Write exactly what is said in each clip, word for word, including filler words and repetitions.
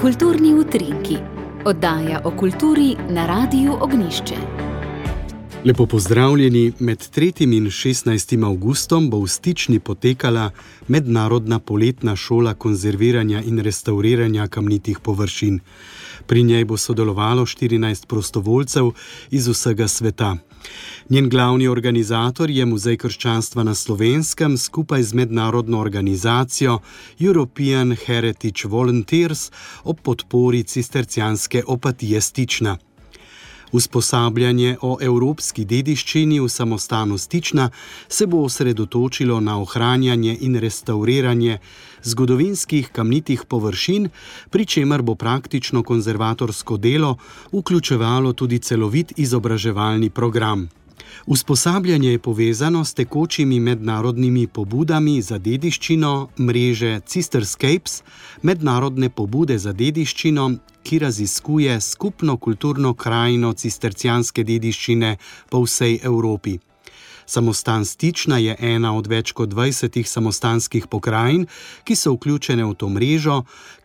Kulturni utrinki, oddaja o kulturi na Radiu Ognjišče. Lepo pozdravljeni, med tretjim in šestnajstim avgustom bo v Stični potekala mednarodna poletna šola konzerviranja in restavriranja kamnitih površin. Pri njej bo sodelovalo štirinajst prostovoljcev iz vsega sveta. Njen glavni organizator je Muzej krščanstva na Slovenskem skupaj z mednarodno organizacijo European Heritage Volunteers ob podpori cistercijanske opatije Stična. Usposabljanje o evropski dediščini v samostanu Stična se bo osredotočilo na ohranjanje in restavriranje zgodovinskih kamnitih površin, pri čemer bo praktično konzervatorsko delo vključevalo tudi celovit izobraževalni program. Usposabljanje je povezano s tekočimi mednarodnimi pobudami za dediščino mreže Cisterscapes, mednarodne pobude za dediščino, ki raziskuje skupno kulturno krajino cistercijanske dediščine po vsej Evropi. Samostan Stična je ena od več kot dvajsetih samostanskih pokrajin, ki so vključene v to mrežo,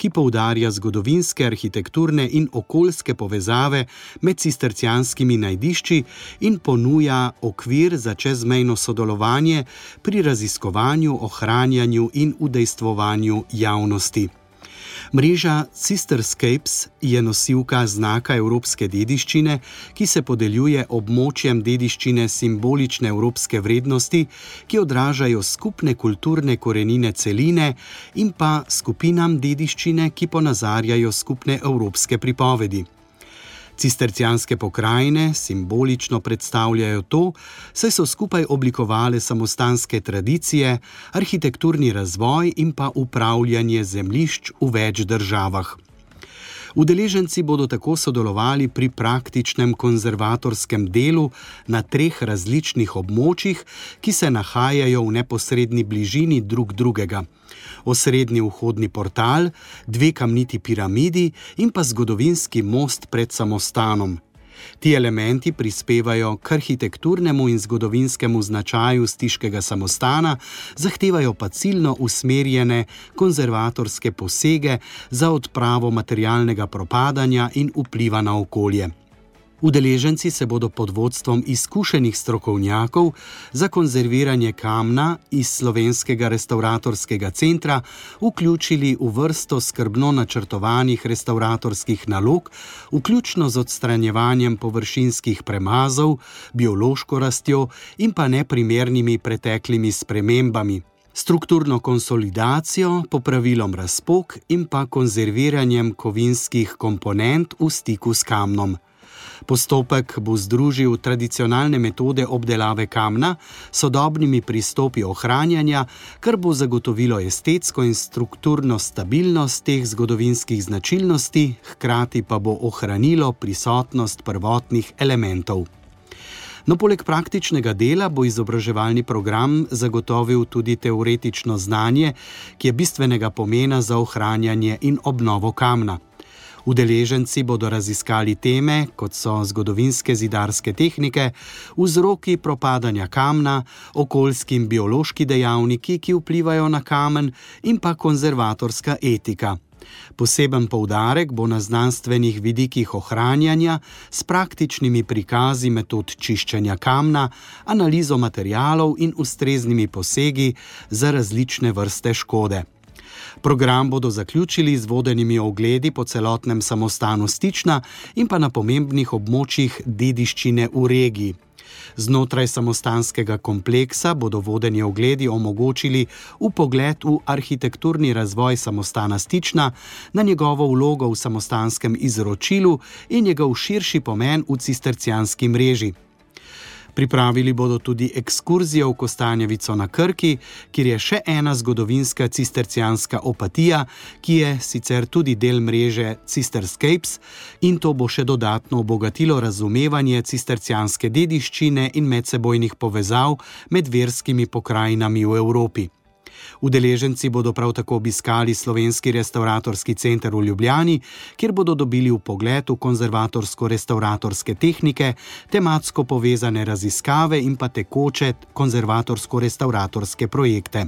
ki poudarja zgodovinske, arhitekturne in okoljske povezave med cistercijanskimi najdišči in ponuja okvir za čezmejno sodelovanje pri raziskovanju, ohranjanju in udejstvovanju javnosti. Mreža Cisterscapes je nosilka znaka evropske dediščine, ki se podeljuje območjem dediščine simbolične evropske vrednosti, ki odražajo skupne kulturne korenine celine in pa skupinam dediščine, ki ponazarjajo skupne evropske pripovedi. Cistercijanske pokrajine simbolično predstavljajo to, saj so skupaj oblikovale samostanske tradicije, arhitekturni razvoj in pa upravljanje zemljišč v več državah. Udeleženci bodo tako sodelovali pri praktičnem konzervatorskem delu na treh različnih območjih, ki se nahajajo v neposredni bližini drug drugega. Osrednji vhodni portal, dve kamniti piramidi in pa zgodovinski most pred samostanom. Ti elementi prispevajo k arhitekturnemu in zgodovinskemu značaju stiškega samostana, zahtevajo pa ciljno usmerjene konzervatorske posege za odpravo materialnega propadanja in vpliva na okolje. Udeleženci se bodo pod vodstvom izkušenih strokovnjakov za konzerviranje kamna iz Slovenskega restavratorskega centra vključili v vrsto skrbno načrtovanih restavratorskih nalog, vključno z odstranjevanjem površinskih premazov, biološko rastjo in pa neprimernimi preteklimi spremembami, strukturno konsolidacijo, popravilom razpok in pa konzerviranjem kovinskih komponent v stiku s kamnom. Postopek bo združil tradicionalne metode obdelave kamna s sodobnimi pristopi ohranjanja, kar bo zagotovilo estetsko in strukturno stabilnost teh zgodovinskih značilnosti, hkrati pa bo ohranilo prisotnost prvotnih elementov. No, poleg praktičnega dela bo izobraževalni program zagotovil tudi teoretično znanje, ki je bistvenega pomena za ohranjanje in obnovo kamna. Udeleženci bodo raziskali teme, kot so zgodovinske zidarske tehnike, vzroki propadanja kamna, okoljski in biološki dejavniki, ki vplivajo na kamen, in pa konzervatorska etika. Poseben poudarek bo na znanstvenih vidikih ohranjanja s praktičnimi prikazi metod čiščenja kamna, analizo materialov in ustreznimi posegi za različne vrste škode. Program bodo zaključili z vodenimi ogledi po celotnem samostanu Stična in pa na pomembnih območjih dediščine v regiji. Znotraj samostanskega kompleksa bodo vodeni ogledi omogočili vpogled v arhitekturni razvoj samostana Stična, na njegovo vlogo v samostanskem izročilu in njegov širši pomen v cistercijanski mreži. Pripravili bodo tudi ekskurzijo v Kostanjevico na Krki, kjer je še ena zgodovinska cistercijanska opatija, ki je sicer tudi del mreže Cisterscapes, in to bo še dodatno obogatilo razumevanje cistercijanske dediščine in medsebojnih povezav med verskimi pokrajinami v Evropi. Udeleženci bodo prav tako obiskali Slovenski restavratorski center v Ljubljani, kjer bodo dobili vpogled v konzervatorsko-restavratorske tehnike, tematsko povezane raziskave in pa tekoče konzervatorsko-restavratorske projekte.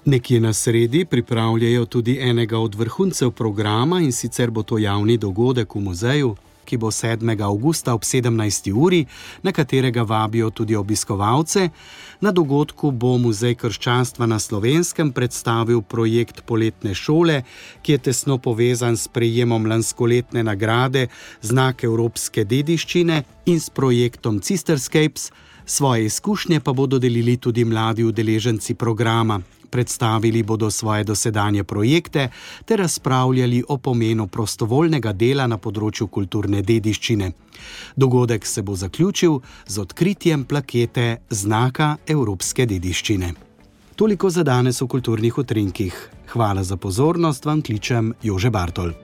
Nekje na sredi pripravljajo tudi enega od vrhuncev programa, in sicer bo to javni dogodek v muzeju, ki bo sedmega avgusta ob sedemnajsti uri, na katerega vabijo tudi obiskovalce. Na dogodku bo Muzej krščanstva na Slovenskem predstavil projekt Poletne šole, ki je tesno povezan s prejemom lanskoletne nagrade Znak evropske dediščine in s projektom Cisterscapes. Svoje izkušnje pa bodo delili tudi mladi udeleženci programa. Predstavili bodo svoje dosedanje projekte ter razpravljali o pomenu prostovoljnega dela na področju kulturne dediščine. Dogodek se bo zaključil z odkritjem plakete Znaka evropske dediščine. Toliko za danes v Kulturnih utrinkih. Hvala za pozornost, vam kličem Jože Bartol.